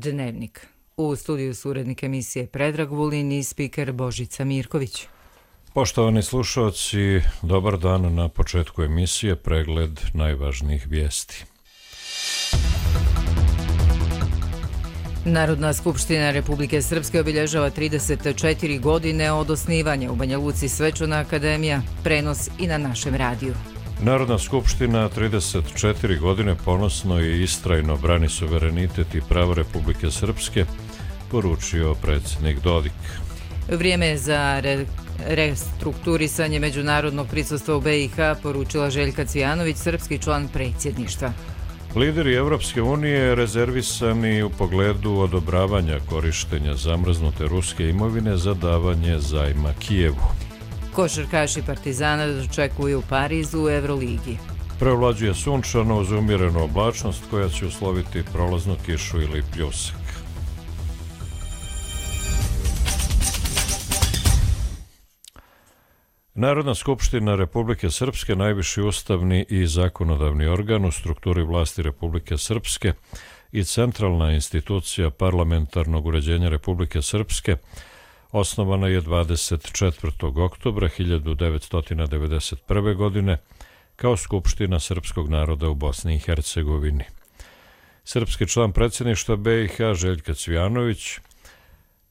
Dnevnik. U studiju su urednik emisije Predrag Vulin i spiker Božica Mirković. Poštovani slušalci, dobar dan. Na početku emisije pregled najvažnijih vijesti. Narodna skupština Republike Srpske obilježava 34 godine od osnivanja. U Banja Luci svečana akademija, prenos i na našem radiju. Narodna skupština 34 godine ponosno i istrajno brani suverenitet i pravo Republike Srpske, poručio predsjednik Dodik. Vrijeme je za restrukturisanje međunarodnog prisustva u BiH, poručila Željka Cvijanović, srpski član predsjedništva. Lideri Evropske unije rezervisani u pogledu odobravanja korištenja zamrznute ruske imovine za davanje zajma Kijevu. Košarkaši Partizana dočekuju u Parizu u Euroligi. Preovlađuje sunčano uz umjerenu oblačnost koja će usloviti prolaznu kišu ili pljusak. Narodna skupština Republike Srpske, najviši ustavni i zakonodavni organ u strukturi vlasti Republike Srpske i centralna institucija parlamentarnog uređenja Republike Srpske, osnovana je 24. oktobra 1991. godine kao Skupština srpskog naroda u Bosni i Hercegovini. Srpski član predsjedništva BiH Željka Cvijanović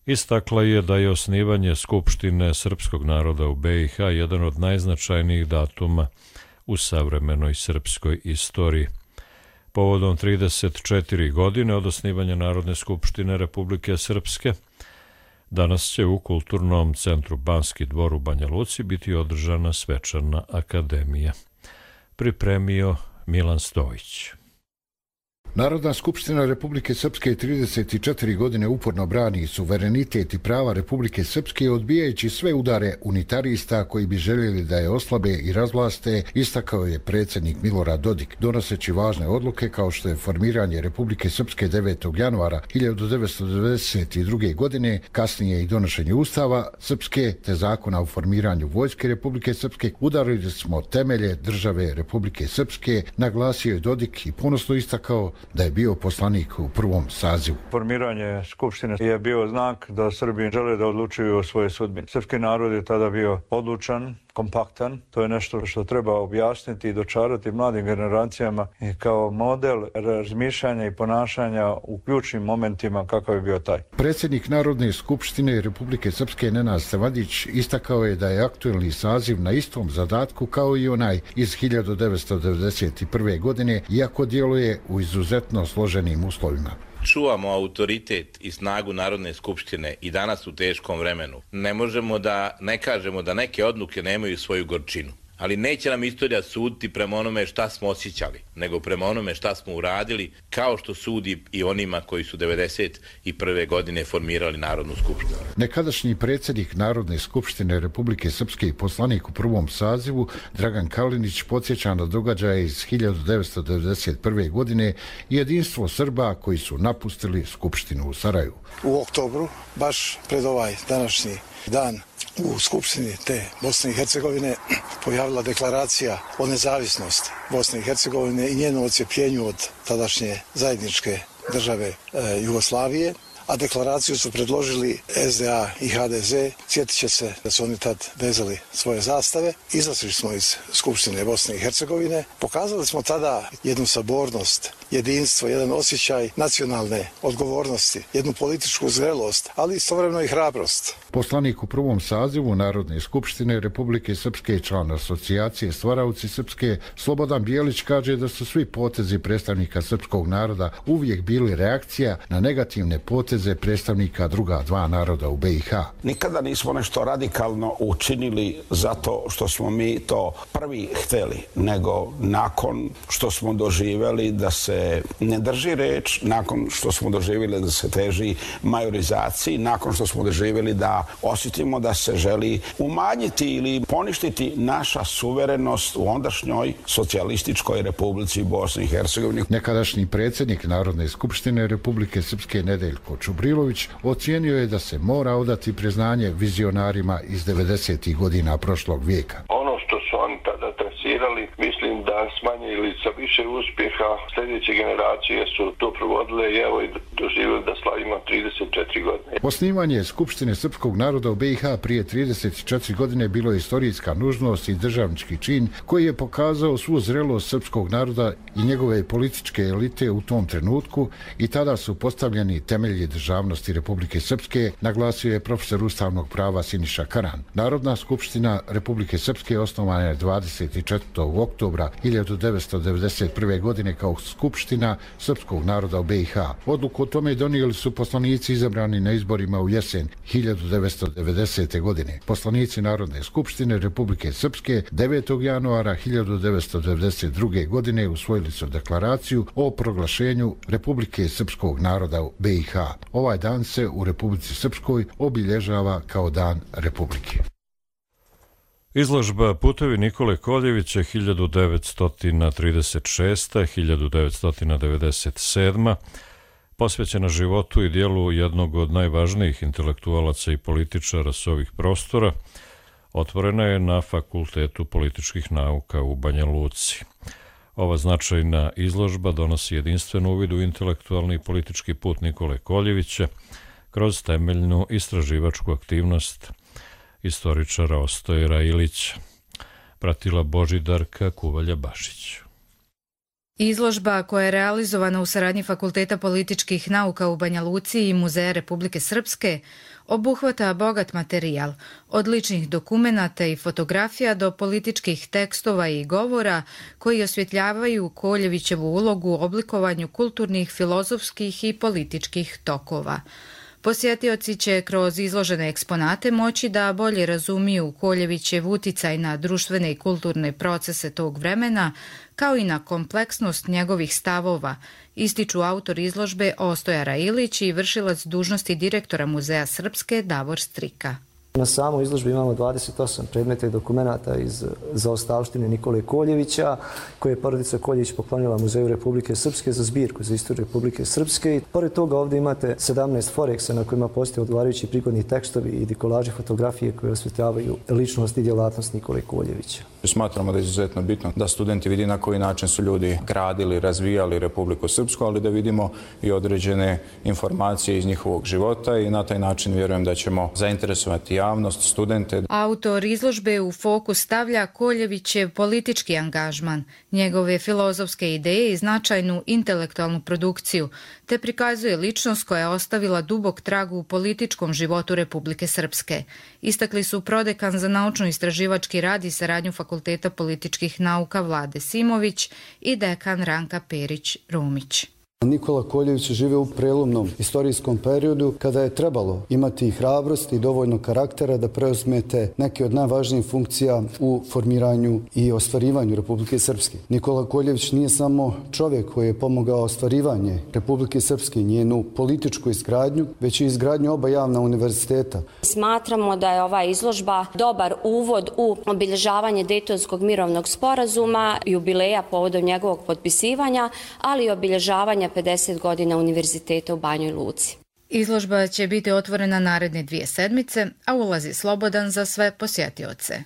istakla je da je osnivanje Skupštine srpskog naroda u BiH jedan od najznačajnijih datuma u savremenoj srpskoj istoriji. Povodom 34 godine od osnivanja Narodne skupštine Republike Srpske, danas će u Kulturnom centru Banski dvor u Banja Luci biti održana svečana akademija. Pripremio Milan Stojić. Narodna skupština Republike Srpske 34 godine uporno brani suverenitet i prava Republike Srpske, odbijajući sve udare unitarista koji bi željeli da je oslabe i razvlaste, istakao je predsjednik Milorad Dodik, donoseći važne odluke kao što je formiranje Republike Srpske 9. januara 1992. godine, kasnije i donošenje Ustava Srpske te zakona o formiranju Vojske Republike Srpske. Udarili smo temelje države Republike Srpske, naglasio je Dodik i ponosno istakao da je bio poslanik u prvom sazivu. Formiranje Skupštine je bio znak da Srbi žele da odlučuju o svojoj sudbini. Srpski narod je tada bio odlučan, kompaktan. To je nešto što treba objasniti i dočarati mladim generacijama i kao model razmišljanja i ponašanja u ključnim momentima kakav je bio taj. Predsjednik Narodne skupštine Republike Srpske Nenad Stevadić istakao je da je aktuelni saziv na istom zadatku kao i onaj iz 1991. godine, iako djeluje u izuzetno složenim uslovima. Čuvamo autoritet i snagu Narodne skupštine i danas u teškom vremenu. Ne možemo da ne kažemo da neke odluke nemaju svoju gorčinu. Ali neće nam istorija suditi prema onome šta smo osjećali, nego prema onome šta smo uradili, kao što sudi i onima koji su 1991. godine formirali Narodnu skupštinu. Nekadašnji predsjednik Narodne skupštine Republike Srpske i poslanik u prvom sazivu Dragan Kalinić podsjeća na događaje iz 1991. godine i jedinstvo Srba koji su napustili Skupštinu u Sarajevu. U oktobru, baš pred ovaj današnji dan, u Skupštini te Bosne i Hercegovine pojavila deklaracija o nezavisnosti Bosne i Hercegovine i njeno odcjepljenju od tadašnje zajedničke države Jugoslavije, a deklaraciju su predložili SDA i HDZ. Sjetit će se da su oni tad vezali svoje zastave. Izašli smo iz Skupštine Bosne i Hercegovine. Pokazali smo tada jednu sabornost, jedinstvo, jedan osjećaj nacionalne odgovornosti, jednu političku zrelost, ali istovremeno i hrabrost. Poslanik u prvom sazivu Narodne skupštine Republike Srpske, član asocijacije Stvaraoci Srpske, Slobodan Bijelić kaže da su svi potezi predstavnika srpskog naroda uvijek bili reakcija na negativne poteze predstavnika druga dva naroda u BiH. Nikada nismo nešto radikalno učinili zato što smo mi to prvi hteli, nego nakon što smo doživjeli da se ne drži reč, nakon što smo doživjeli da se teži majorizaciji, nakon što smo doživjeli da osjetimo da se želi umanjiti ili poništiti naša suverenost u ondašnjoj socijalističkoj Republici Bosni i Hercegovini. Nekadašnji predsjednik Narodne skupštine Republike Srpske Nedeljko Čubrilović ocijenio je da se mora odati priznanje vizionarima iz 90. godina prošlog vijeka. Ono što su oni tada trasirali, mislim da s manje ili sa više uspjeha sljedeće generacije su to provodile i evo i doživjeli da slavimo 34 godine. Osnivanje Skupštine srpskog naroda u BiH prije 34 godine bilo je istorijska nužnost i državnički čin koji je pokazao svu zrelost srpskog naroda i njegove političke elite u tom trenutku i tada su postavljeni temelji državnosti Republike Srpske, naglasio je profesor ustavnog prava Siniša Karan. Narodna skupština Republike Srpske osnovana je 24. oktobra 1991. godine kao Skupština srpskog naroda u BiH. Odluku o tome donijeli su poslanici izabrani na izborima u jesen 1990. godine. Poslanici Narodne skupštine Republike Srpske 9. januara 1992. godine usvojili su deklaraciju o proglašenju Republike Srpskog naroda u BiH. Ovaj dan se u Republici Srpskoj obilježava kao Dan Republike. Izložba Putevi Nikole Koljevića 1936-1997 posvećena životu i dijelu jednog od najvažnijih intelektualaca i političara s ovih prostora, otvorena je na Fakultetu političkih nauka u Banja Luci. Ova značajna izložba donosi jedinstven uvid u intelektualni i politički put Nikole Koljevića kroz temeljnu istraživačku aktivnost istoričara Ostojera Ilića. Pratila Božidarka Kuvalja-Bašić. Izložba koja je realizovana u saradnji Fakulteta političkih nauka u Banja Luci i Muzeja Republike Srpske obuhvata bogat materijal, od ličnih dokumenata i fotografija do političkih tekstova i govora koji osvjetljavaju Koljevićevu ulogu u oblikovanju kulturnih, filozofskih i političkih tokova. Posjetioci će kroz izložene eksponate moći da bolje razumiju Koljevićev uticaj na društvene i kulturne procese tog vremena, kao i na kompleksnost njegovih stavova, ističu autor izložbe Ostojara Ilić i vršilac dužnosti direktora Muzeja Srpske Davor Strika. Na samoj izložbi imamo 28 predmeta i dokumenata iz zaostavštine Nikole Koljevića, koje je porodica Koljević poklonila Muzeju Republike Srpske za zbirku za istoriju Republike Srpske. I pored toga ovdje imate 17 foreksa na kojima postoje odgovarajući prigodni tekstovi i dekolaži fotografije koje osvetljavaju ličnost i djelatnost Nikole Koljevića. Smatramo da je izuzetno bitno da studenti vidi na koji način su ljudi gradili, razvijali Republiku Srpsku, ali da vidimo i određene informacije iz njihovog života i na taj način vjerujem da ćemo zainteresovati javnost, studente. Autor izložbe u fokus stavlja Koljevićev politički angažman, njegove filozofske ideje i značajnu intelektualnu produkciju, te prikazuje ličnost koja je ostavila dubok trag u političkom životu Republike Srpske. Istakli su prodekan za naučno-istraživački rad i saradnju Fakulteta političkih nauka Vlade Simović i dekan Ranka Perić-Rumić. Nikola Koljević je živio u prelomnom istorijskom periodu kada je trebalo imati hrabrost i dovoljno karaktera da preuzmete neke od najvažnijih funkcija u formiranju i ostvarivanju Republike Srpske. Nikola Koljević nije samo čovjek koji je pomogao ostvarivanje Republike Srpske i njenu političku izgradnju, već i izgradnju oba javna univerziteta. Smatramo da je ova izložba dobar uvod u obilježavanje Dejtonskog mirovnog sporazuma, jubileja povodom njegovog potpisivanja, ali i obilježavanja 50 godina univerziteta u Banjoj Luci. Izložba će biti otvorena naredne 2 sedmice, a ulaz je slobodan za sve posjetioce.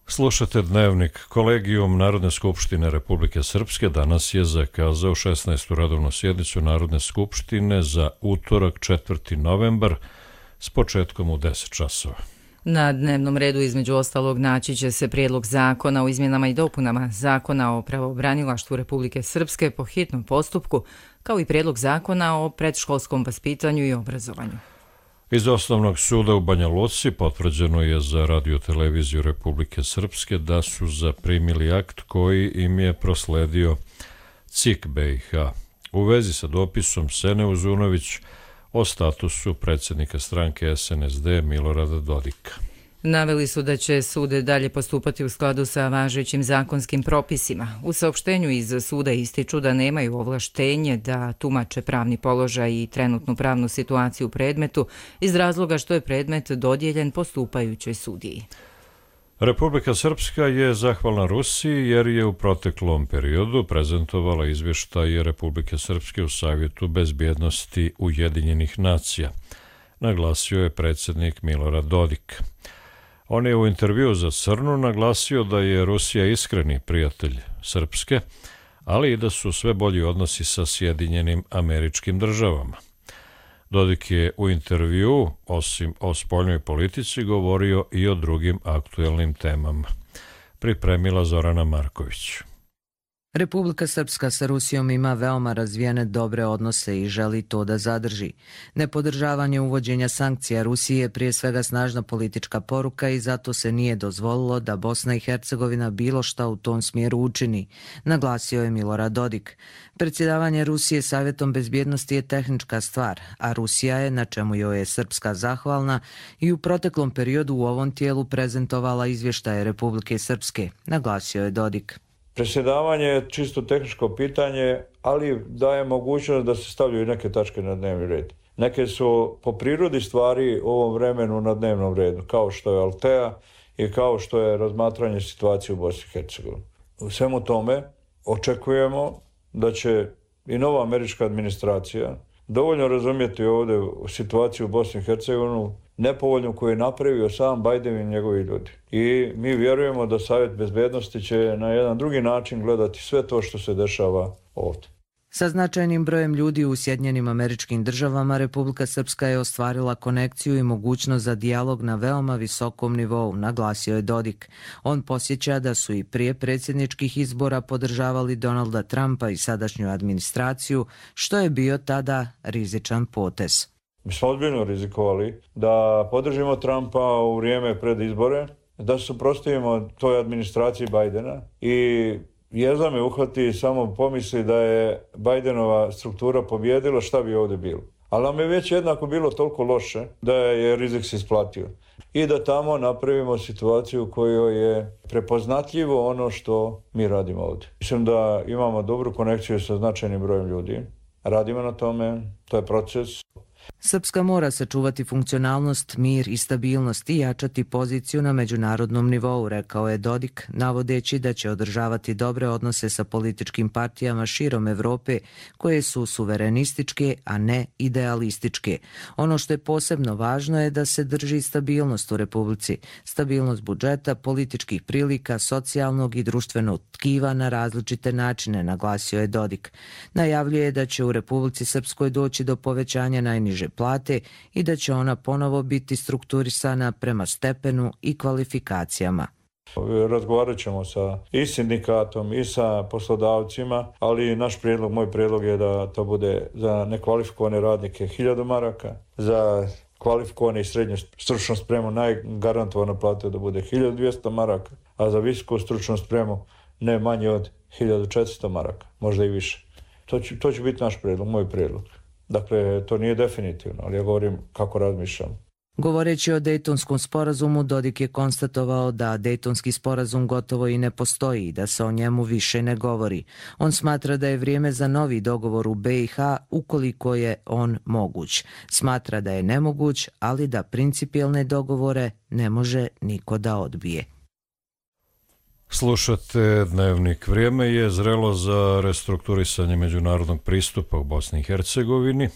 Slušate Dnevnik. Kolegijum Narodne skupštine Republike Srpske danas je zakazao 16. radovnu sjednicu Narodne skupštine za utorak 4. novembar s početkom u 10 časova. Na dnevnom redu između ostalog naći će se prijedlog zakona o izmjenama i dopunama Zakona o pravobranilaštvu Republike Srpske po hitnom postupku, kao i prijedlog zakona o predškolskom vaspitanju i obrazovanju. Iz Osnovnog suda u Banja Luci potvrđeno je za Radio-televiziju Republike Srpske da su zaprimili akt koji im je prosledio CIK BiH u vezi sa dopisom Sene Uzunović o statusu predsjednika stranke SNSD Milorada Dodika. Naveli su da će sud dalje postupati u skladu sa važećim zakonskim propisima. U saopštenju iz suda ističu da nemaju ovlaštenje da tumače pravni položaj i trenutnu pravnu situaciju u predmetu iz razloga što je predmet dodijeljen postupajućoj sudiji. Republika Srpska je zahvalna Rusiji jer je u proteklom periodu prezentovala izvještaje Republike Srpske u Savjetu bezbjednosti Ujedinjenih nacija, naglasio je predsjednik Milorad Dodik. On je u intervjuu za Crnu naglasio da je Rusija iskreni prijatelj Srpske, ali i da su sve bolji odnosi sa Sjedinjenim Američkim Državama. Dodik je u intervjuu, osim o spoljnoj politici, govorio i o drugim aktuelnim temama. Pripremila Zorana Marković. Republika Srpska sa Rusijom ima veoma razvijene dobre odnose i želi to da zadrži. Nepodržavanje uvođenja sankcija Rusije je prije svega snažna politička poruka i zato se nije dozvolilo da Bosna i Hercegovina bilo šta u tom smjeru učini, naglasio je Milorad Dodik. Predsjedavanje Rusije Savjetom bezbjednosti je tehnička stvar, a Rusija je, na čemu joj je Srpska zahvalna, i u proteklom periodu u ovom tijelu prezentovala izvještaje Republike Srpske, naglasio je Dodik. Predsjedavanje je čisto tehničko pitanje, ali daje mogućnost da se stavljaju neke tačke na dnevni red. Neke su po prirodi stvari u ovom vremenu na dnevnom redu, kao što je Altea i kao što je razmatranje situacije u Bosni i Hercegovini. U svemu tome očekujemo da će i nova američka administracija dovoljno razumjeti ovdje situaciju u Bosni i Hercegovini, nepovoljnu koju je napravio sam Biden i njegovi ljudi. I mi vjerujemo da Savjet bezbednosti će na jedan drugi način gledati sve to što se dešava ovdje. Sa značajnim brojem ljudi u Sjedinjenim Američkim Državama, Republika Srpska je ostvarila konekciju i mogućnost za dijalog na veoma visokom nivou, naglasio je Dodik. On posjeća da su i prije predsjedničkih izbora podržavali Donalda Trumpa i sadašnju administraciju, što je bio tada rizičan potez. Mi smo ozbiljno rizikovali da podržimo Trumpa u vrijeme pred izbore, da se suprotstavimo toj administraciji Bidena i jezda me uhvati samo pomisli da je Bidenova struktura pobjedila, šta bi ovdje bilo. Ali nam je već jednako bilo toliko loše da je rizik se isplatio. I da tamo napravimo situaciju u kojoj je prepoznatljivo ono što mi radimo ovdje. Mislim da imamo dobru konekciju sa značajnim brojem ljudi. Radimo na tome, to je proces. Srpska mora sačuvati funkcionalnost, mir i stabilnost i jačati poziciju na međunarodnom nivou, rekao je Dodik, navodeći da će održavati dobre odnose sa političkim partijama širom Evrope koje su suverenističke, a ne idealističke. Ono što je posebno važno je da se drži stabilnost u Republici, stabilnost budžeta, političkih prilika, socijalnog i društvenog tkiva na različite načine, naglasio je Dodik. Najavljuje da će u Republici Srpskoj doći do povećanja najniže plate i da će ona ponovo biti strukturisana prema stepenu i kvalifikacijama. Razgovarat ćemo sa i sindikatom i sa poslodavcima, ali naš prijedlog, moj prijedlog je da to bude za nekvalifikovane radnike 1000 maraka, za kvalifikovane i srednju stručnu spremu najgarantovana plata da bude 1200 maraka, a za visoku stručnu spremu ne manje od 1400 maraka, možda i više. To će biti naš prijedlog, moj prijedlog. Dakle, to nije definitivno, ali ja govorim kako razmišljam. Govoreći o Dejtonskom sporazumu, Dodik je konstatovao da Dejtonski sporazum gotovo i ne postoji i da se o njemu više ne govori. On smatra da je vrijeme za novi dogovor u BiH ukoliko je on moguć. Smatra da je nemoguć, ali da principijelne dogovore ne može niko da odbije. Slušate Dnevnik. Vrijeme je zrelo za restrukturisanje međunarodnog pristupa u Bosni i Hercegovini.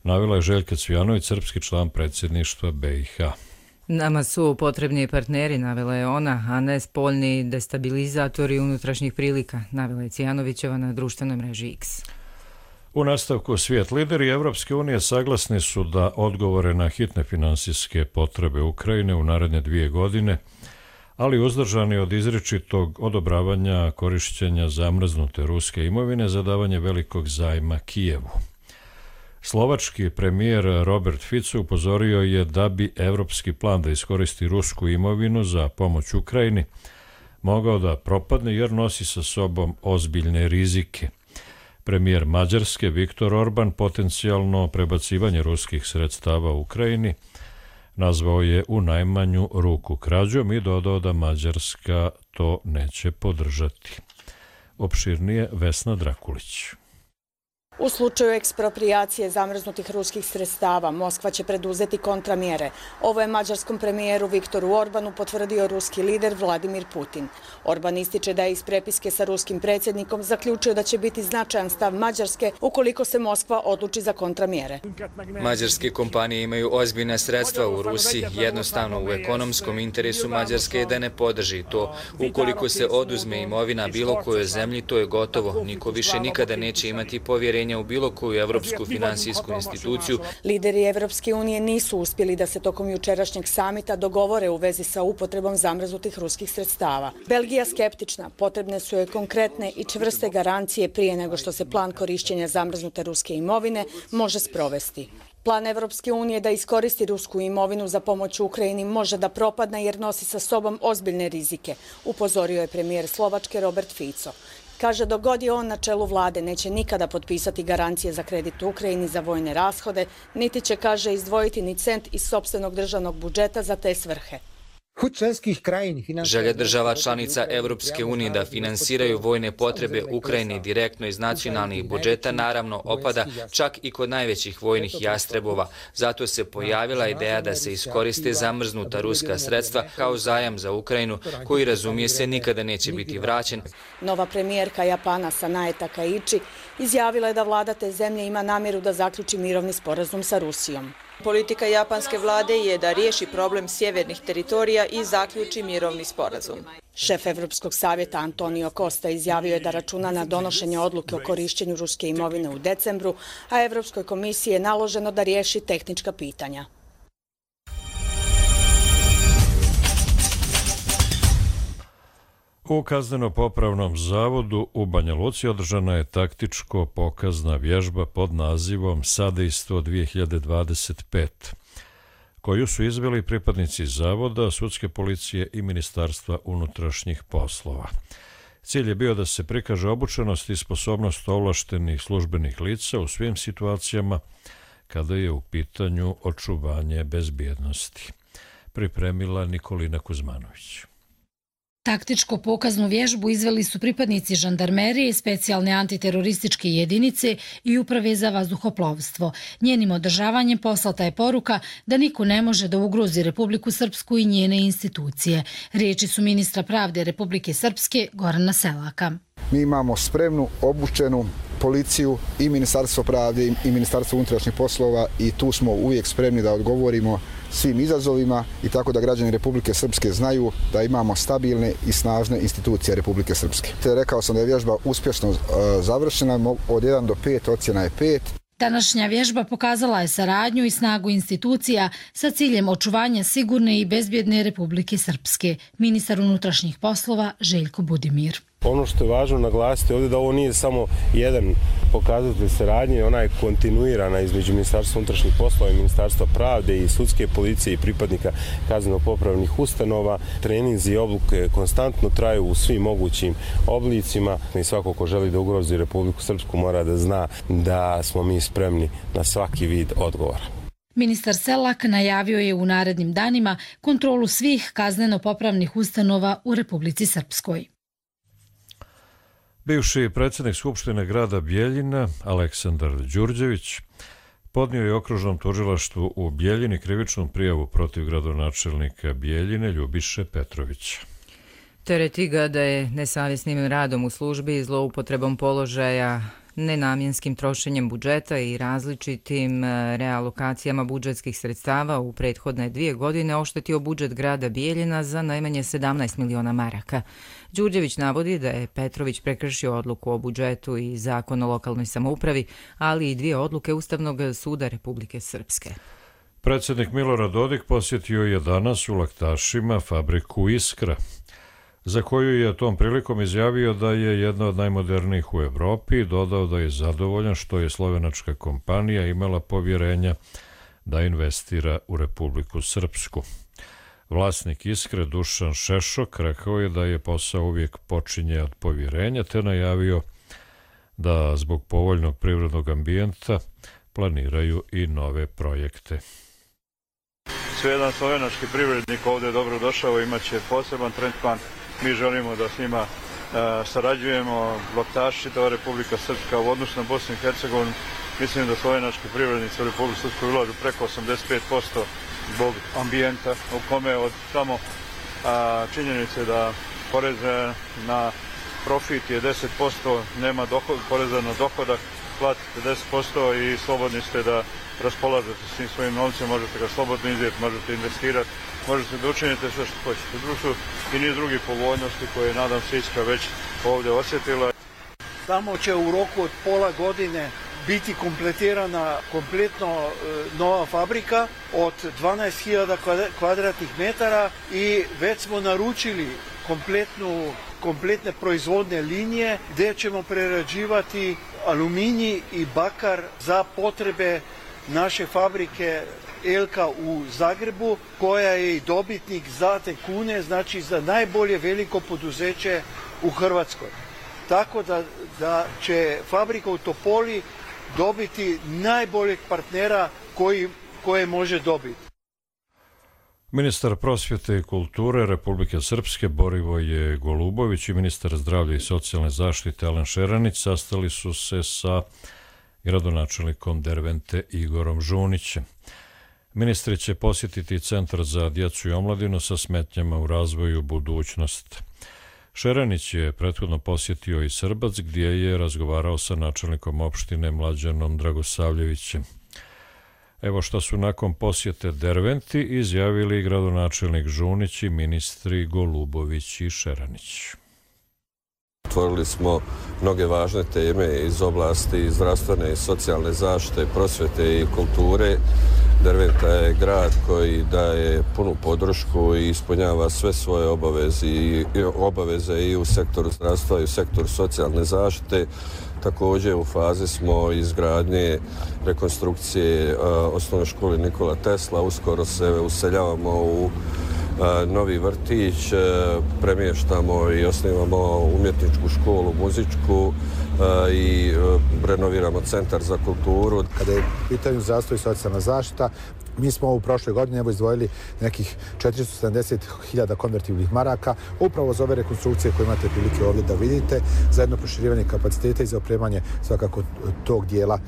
Navela je Željka Cvijanović, srpski član predsjedništva BiH. Nama su potrebni partneri, navela je ona, a ne spoljni destabilizatori unutrašnjih prilika, navela je Cvijanovićeva na društvenoj mreži X. U nastavku svijet lideri Evropske unije saglasni su da odgovore na hitne finansijske potrebe Ukrajine u naredne 2 godine, ali uzdržani od izričitog odobravanja korišćenja zamrznute ruske imovine za davanje velikog zajma Kijevu. Slovački premijer Robert Fico upozorio je da bi evropski plan da iskoristi rusku imovinu za pomoć Ukrajini mogao da propadne jer nosi sa sobom ozbiljne rizike. Premijer Mađarske Viktor Orban potencijalno prebacivanje ruskih sredstava u Ukrajini nazvao je u najmanju ruku krađom i dodao da Mađarska to neće podržati. Opširnije Vesna Drakulić. U slučaju eksproprijacije zamrznutih ruskih sredstava, Moskva će preduzeti kontramjere. Ovo je mađarskom premijeru Viktoru Orbanu potvrdio ruski lider Vladimir Putin. Orban ističe da je iz prepiske sa ruskim predsjednikom zaključio da će biti značajan stav Mađarske ukoliko se Moskva odluči za kontramjere. Mađarske kompanije imaju ozbiljna sredstva u Rusiji. Jednostavno u ekonomskom interesu Mađarske je da ne podrži to. Ukoliko se oduzme imovina bilo kojoj zemlji, to je gotovo. Niko više nikada neće imati povjerenja u bilo koju evropsku finansijsku instituciju. Lideri Evropske unije nisu uspjeli da se tokom jučerašnjeg samita dogovore u vezi sa upotrebom zamrznutih ruskih sredstava. Belgija skeptična, potrebne su joj konkretne i čvrste garancije prije nego što se plan korišćenja zamrznute ruske imovine može sprovesti. Plan Evropske unije da iskoristi rusku imovinu za pomoć Ukrajini može da propadne jer nosi sa sobom ozbiljne rizike, upozorio je premijer Slovačke Robert Fico. Kaže, dok god je on na čelu vlade, neće nikada potpisati garancije za kredit Ukrajini za vojne rashode, niti će, kaže, izdvojiti ni cent iz sopstvenog državnog budžeta za te svrhe. Želja država članica Evropske unije da finansiraju vojne potrebe Ukrajine direktno iz nacionalnih budžeta naravno opada čak i kod najvećih vojnih jastrebova. Zato se pojavila ideja da se iskoriste zamrznuta ruska sredstva kao zajam za Ukrajinu, koji, razumije se, nikada neće biti vraćen. Nova premijerka Japana Sanae Takaichi izjavila je da vlada te zemlje ima namjeru da zaključi mirovni sporazum sa Rusijom. Politika japanske vlade je da riješi problem sjevernih teritorija i zaključi mirovni sporazum. Šef Evropskog savjeta Antonio Costa izjavio je da računa na donošenje odluke o korišćenju ruske imovine u decembru, a Evropskoj komisiji je naloženo da riješi tehnička pitanja. U Kazneno-popravnom zavodu u Banja Luci održana je taktičko-pokazna vježba pod nazivom Sadejstvo 2025, koju su izveli pripadnici zavoda, sudske policije i Ministarstva unutrašnjih poslova. Cilj je bio da se prikaže obučenost i sposobnost ovlaštenih službenih lica u svim situacijama kada je u pitanju očuvanje bezbjednosti. Pripremila Nikolina Kuzmanović. Taktičko-pokaznu vježbu izveli su pripadnici žandarmerije, specijalne antiterorističke jedinice i uprave za vazduhoplovstvo. Njenim održavanjem poslata je poruka da niko ne može da ugrozi Republiku Srpsku i njene institucije. Riječi su ministra pravde Republike Srpske Gorana Selaka. Mi imamo spremnu, obučenu policiju i Ministarstvo pravde i Ministarstvo unutrašnjih poslova i tu smo uvijek spremni da odgovorimo svim izazovima i tako da građani Republike Srpske znaju da imamo stabilne i snažne institucije Republike Srpske. Rekao sam da je vježba uspješno završena, od 1 do 5 ocjena je 5. Današnja vježba pokazala je saradnju i snagu institucija sa ciljem očuvanja sigurne i bezbjedne Republike Srpske. Ministar unutrašnjih poslova Željko Budimir. Ono što je važno naglasiti ovdje da ovo nije samo jedan pokazatelj saradnje, ona je kontinuirana između Ministarstva unutrašnjih poslova i Ministarstva pravde i sudske policije i pripadnika kazneno-popravnih ustanova. Treninzi i obuke konstantno traju u svim mogućim oblicima i svako ko želi da ugrozi Republiku Srpsku mora da zna da smo mi spremni na svaki vid odgovora. Ministar Selak najavio je u narednim danima kontrolu svih kazneno-popravnih ustanova u Republici Srpskoj. Bivši predsjednik Skupštine grada Bijeljina, Aleksandar Đurđević, podnio je okružnom tužilaštvu u Bijeljini krivičnu prijavu protiv gradonačelnika Bijeljine Ljubiše Petrovića. Tereti ga da je nesavjesnim radom u službi i zloupotrebom položaja, nenamjenskim trošenjem budžeta i različitim realokacijama budžetskih sredstava u prethodne 2 godine oštetio budžet grada Bijeljina za najmanje 17 miliona maraka. Đurđević navodi da je Petrović prekršio odluku o budžetu i zakon o lokalnoj samoupravi, ali i 2 odluke Ustavnog suda Republike Srpske. Predsjednik Milorad Dodik posjetio je danas u Laktašima fabriku Iskra, za koju je tom prilikom izjavio da je jedna od najmodernijih u Evropi i dodao da je zadovoljan što je slovenačka kompanija imala povjerenja da investira u Republiku Srpsku. Vlasnik Iskre Dušan Šešok rekao je da je posao uvijek počinje od povjerenja, te najavio da zbog povoljnog privrednog ambijenta planiraju i nove projekte. Jedan slovenački privrednik ovdje dobro došao, imat će poseban tretman. Mi želimo da s njima sarađujemo, bloktaši čitava Republika Srpska u odnosu na Bosnu i Hercegovinu. Mislim da slovenački privrednici u Republiku Srpskoj ulažu preko 85% zbog ambijenta u kome od samo činjenice da porez na profit je 10%, nema poreza na dohodak, platite 10% i slobodni ste da raspolažete svim svojim novcem, možete ga slobodno izdjeti, možete investirati, možete da učinite sve što hoćete. Društvo i niz drugih povoljnosti koje nadam se Iskra već ovdje osjetila. Tamo će u roku od pola godine biti kompletirana kompletno nova fabrika od 12.000 kvadratnih metara i već smo naručili kompletne proizvodne linije gdje ćemo prerađivati aluminij i bakar za potrebe naše fabrike Elka u Zagrebu, koja je i dobitnik Zlate kune, znači za najbolje veliko poduzeće u Hrvatskoj. Tako da će fabrika u Topoli dobiti najboljeg partnera koje može dobiti. Ministar prosvjete i kulture Republike Srpske Borivoje Golubović i ministar zdravlja i socijalne zaštite Alen Šeranić sastali su se sa gradonačelnikom Dervente Igorom Žunićem. Ministri će posjetiti Centar za djecu i omladinu sa smetnjama u razvoju budućnost. Šeranić je prethodno posjetio i Srbac gdje je razgovarao sa načelnikom opštine Mlađanom Dragosavljevićem. Evo što su nakon posjete Derventi izjavili gradonačelnik Žunić i ministri Golubović i Šeranić. Otvorili smo mnoge važne teme iz oblasti zdravstvene i socijalne zaštite, prosvjete i kulture. Derventa je grad koji daje punu podršku i ispunjava sve svoje obaveze i u sektoru zdravstva i u sektoru socijalne zaštite. Također u fazi smo izgradnje rekonstrukcije osnovne škole Nikola Tesla. Uskoro se useljavamo u novi vrtić, premještamo i osnivamo umjetničku školu, muzičku i renoviramo centar za kulturu. Kada je u pitanju zdravstvo i socijalna zaštita, mi smo u prošloj godini izdvojili nekih 470.000 konvertibilnih maraka upravo za ove rekonstrukcije koje imate prilike ovdje da vidite, za jedno proširivanje kapaciteta i za opremanje svakako tog dijela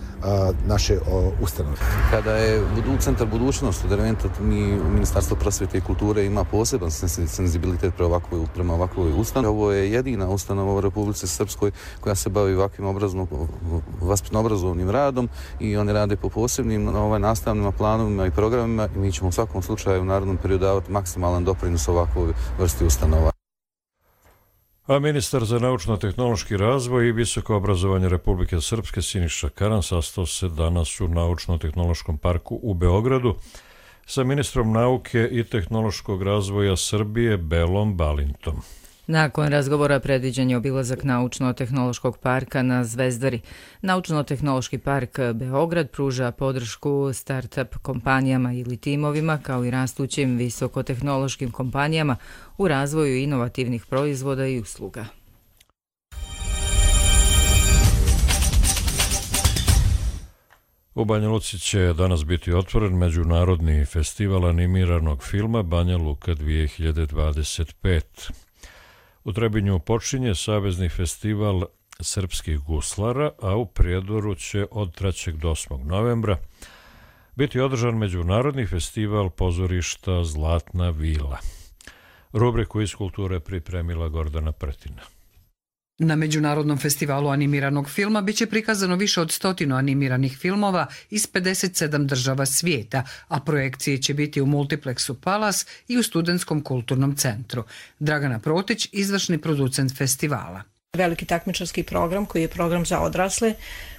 naše ustanove. Kada je Centar budućnost u Derventu, mi u Ministarstvu prosvjete i kulture ima poseban senzibilitet prema ovakvoj ustanovi. Ovo je jedina ustanova u Republici Srpskoj koja se bavi ovakvim vaspitno-obrazovnim radom i oni rade po posebnim nastavnim planovima i programima i mi ćemo u svakom slučaju u narednom periodu davati maksimalan doprinos ovakvoj vrsti ustanova. A ministar za naučno-tehnološki razvoj i visoko obrazovanje Republike Srpske Siniša Karan sastao se danas u Naučno-tehnološkom parku u Beogradu sa ministrom nauke i tehnološkog razvoja Srbije Belom Balintom. Nakon razgovora predviđen je obilazak Naučno-tehnološkog parka na Zvezdari. Naučno-tehnološki park Beograd pruža podršku start-up kompanijama ili timovima kao i rastućim visokotehnološkim kompanijama u razvoju inovativnih proizvoda i usluga. U Banja Luci će danas biti otvoren Međunarodni festival animiranog filma Banja Luka 2025. U Trebinju počinje Savezni festival srpskih guslara, a u Prijedoru će od 3. do 8. novembra biti održan Međunarodni festival pozorišta Zlatna vila. Rubriku iz kulture pripremila Gordana Pretina. Na Međunarodnom festivalu animiranog filma biće prikazano više od 100 animiranih filmova iz 57 država svijeta, a projekcije će biti u Multiplexu Palace i u Studentskom kulturnom centru. Dragana Protić, izvršni producent festivala. Veliki takmičarski program koji je program za odrasle,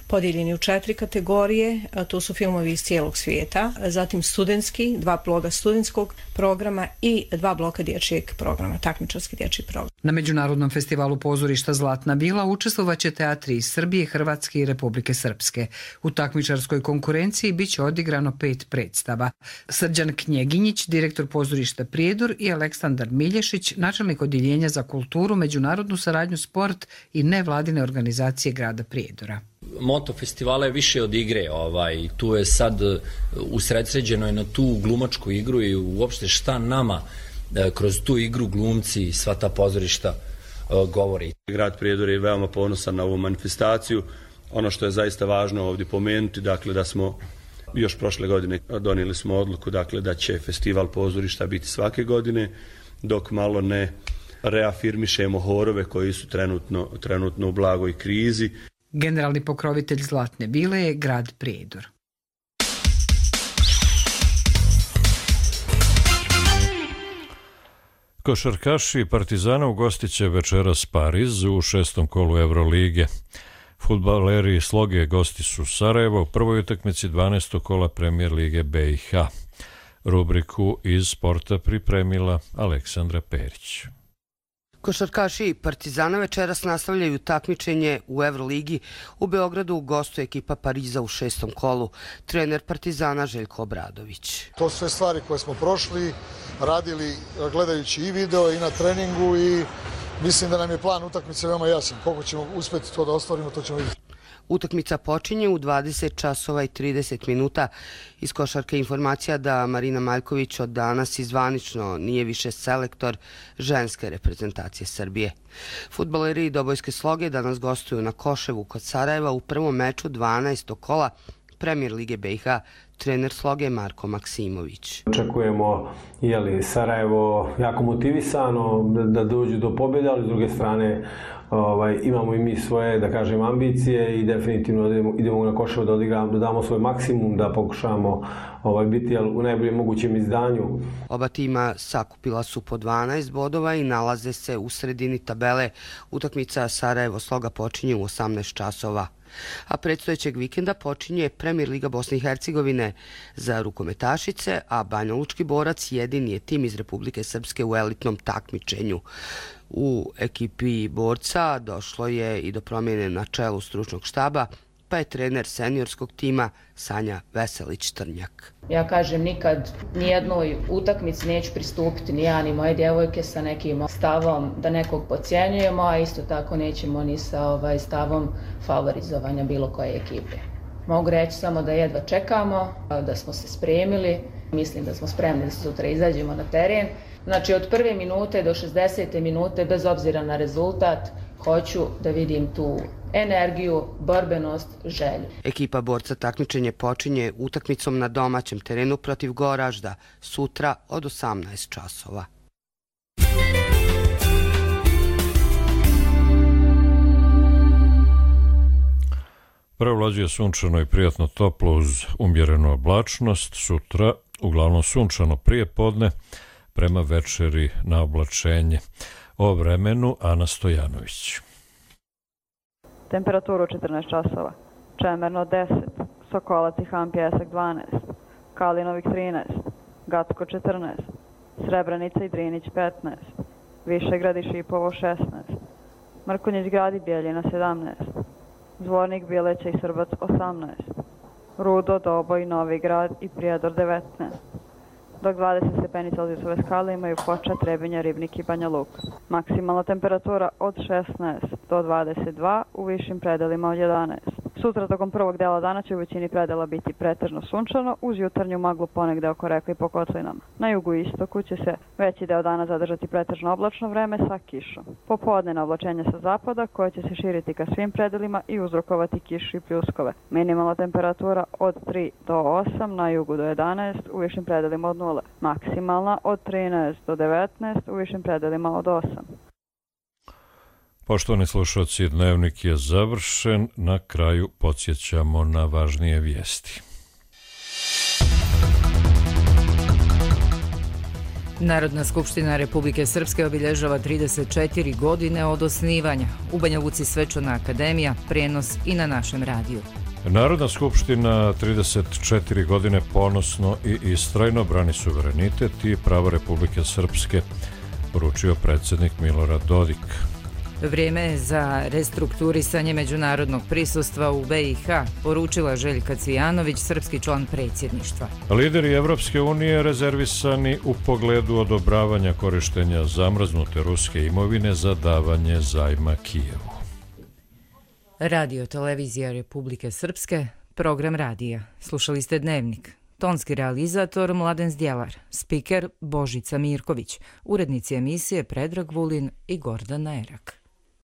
podijeljeni u 4 kategorije, to su filmovi iz cijelog svijeta, zatim studentski, 2 bloka studentskog programa i 2 bloka dječjeg programa, takmičarski dječji program. Na Međunarodnom festivalu pozorišta Zlatna vila učestvovaće teatri iz Srbije, Hrvatske i Republike Srpske. U takmičarskoj konkurenciji biće odigrano 5 predstava. Srđan Knjeginjić, direktor pozorišta Prijedor, i Aleksandar Milješić, načelnik odjeljenja za kulturu, međunarodnu saradnju, sport i nevladine organizacije grada Prijedora. Moto festivala je više od igre, tu je sad usredsređeno je na tu glumačku igru i uopšte šta nama kroz tu igru glumci, sva ta pozorišta govori. Grad Prijedor je veoma ponosan na ovu manifestaciju. Ono što je zaista važno ovdje pomenuti, dakle da smo još prošle godine donijeli smo odluku dakle da će festival pozorišta biti svake godine, dok malo ne reafirmišemo horove koji su trenutno u blagoj krizi. Generalni pokrovitelj Zlatne bile je grad Prijedor. Košarkaši Partizana ugostit će večeras Pariz u 6. kolu Evrolige. Fudbaleri Sloge gosti su Sarajevo u prvoj utakmici 12. kola Premijer lige BiH. Rubriku iz sporta pripremila Aleksandra Perić. Košarkaši Partizana večeras nastavljaju takmičenje u Evroligi. U Beogradu gostuje ekipa Pariza u 6. kolu. Trener Partizana Željko Obradović. To su sve stvari koje smo prošli, radili gledajući i video i na treningu i mislim da nam je plan utakmice veoma jasan. Koliko ćemo uspjeti to da ostvarimo, to ćemo vidjeti. Utakmica počinje u 20 časova i 30 minuta. Iz košarke informacija da Marina Maljković od danas i zvanično nije više selektor ženske reprezentacije Srbije. Fudbaleri Dobojske Sloge danas gostuju na Koševu kod Sarajeva u prvom meču 12. kola Premijer lige BiH. Trener Sloge Marko Maksimović. Očekujemo Sarajevo jako motivisano da dođu do pobjede, ali s druge strane imamo i mi svoje, da kažem, ambicije i definitivno idemo na Koševo da damo svoj maksimum, da pokušamo biti u najboljem mogućem izdanju. Oba tima sakupila su po 12 bodova i nalaze se u sredini tabele. Utakmica Sarajevo Sloga počinje u 18 časova. A predstojećeg vikenda počinje Premijer liga Bosne i Hercegovine za rukometašice, a Banjalučki borac jedini je tim iz Republike Srpske u elitnom takmičenju. U ekipi borca došlo je i do promjene na čelu stručnog štaba, pa je trener seniorskog tima Sanja Veselić-Trnjak. Ja kažem, nikad nijednoj utakmici neću pristupiti ni ja ni moje djevojke sa nekim stavom da nekog podcjenjujemo, a isto tako nećemo ni sa stavom favorizovanja bilo koje ekipe. Mogu reći samo da jedva čekamo, da smo se spremili, mislim da smo spremni da sutra izađemo na teren. Znači od prve minute do 60. minute, bez obzira na rezultat, hoću da vidim tu energiju, borbenost, želju. Ekipa borca takmičenje počinje utakmicom na domaćem terenu protiv Goražda sutra od 18 časova. Prevlađuje sunčano i prijatno toplo uz umjerenu oblačnost. Sutra uglavnom sunčano prije podne, prema večeri na oblačenje. O vremenu Ana Stojanović. Temperaturu 14 časova. Čemerno 10, Sokolac i Han Pjesak 12, Kalinovik 13, Gacko 14, Srebrenica i Drinić 15, Višegrad i Šipovo 16, Mrkonjić grad i Bijeljina 17, Zvornik, Bileća i Srbac 18, Rudo, Doboj, Novi grad i Prijedor 19, dok 20 stepeni Celzijusove skale imaju Foča, Trebinja, Ribnik i Banja Luka. Maksimalna temperatura od 16 do 22, u višim predelima od 11. Sutra tokom prvog dela dana će u većini predela biti pretežno sunčano, uz jutarnju maglu ponegde oko reka i po kotlinama. Na jugu i istoku će se veći deo dana zadržati pretežno oblačno vreme sa kišom. Popodne oblačenje sa zapada koje će se širiti ka svim predelima i uzrokovati kišu i pljuskove. Minimalna temperatura od 3 do 8, na jugu do 11, u višim predelima od 0. Maksimalna od 13 do 19, u višim predelima od 8. Poštovani slušalci, dnevnik je završen. Na kraju podsjećamo na važnije vijesti. Narodna skupština Republike Srpske obilježava 34 godine od osnivanja. U Banja Luci svečana akademija, prenos i na našem radiju. Narodna skupština 34 godine ponosno i istrajno brani suverenitet i pravo Republike Srpske, poručio predsjednik Milorad Dodik. Vrijeme je za restrukturisanje međunarodnog prisustva u BiH, poručila Željka Cvijanović, srpski član predsjedništva. Lideri Evropske unije rezervisani u pogledu odobravanja korištenja zamrznute ruske imovine za davanje zajma Kijevu. Radio Televizija Republike Srpske, program radija. Slušali ste Dnevnik. Tonski realizator Mladen Zdjelar, spiker Božica Mirković, urednici emisije Predrag Vulin i Gordana Erak.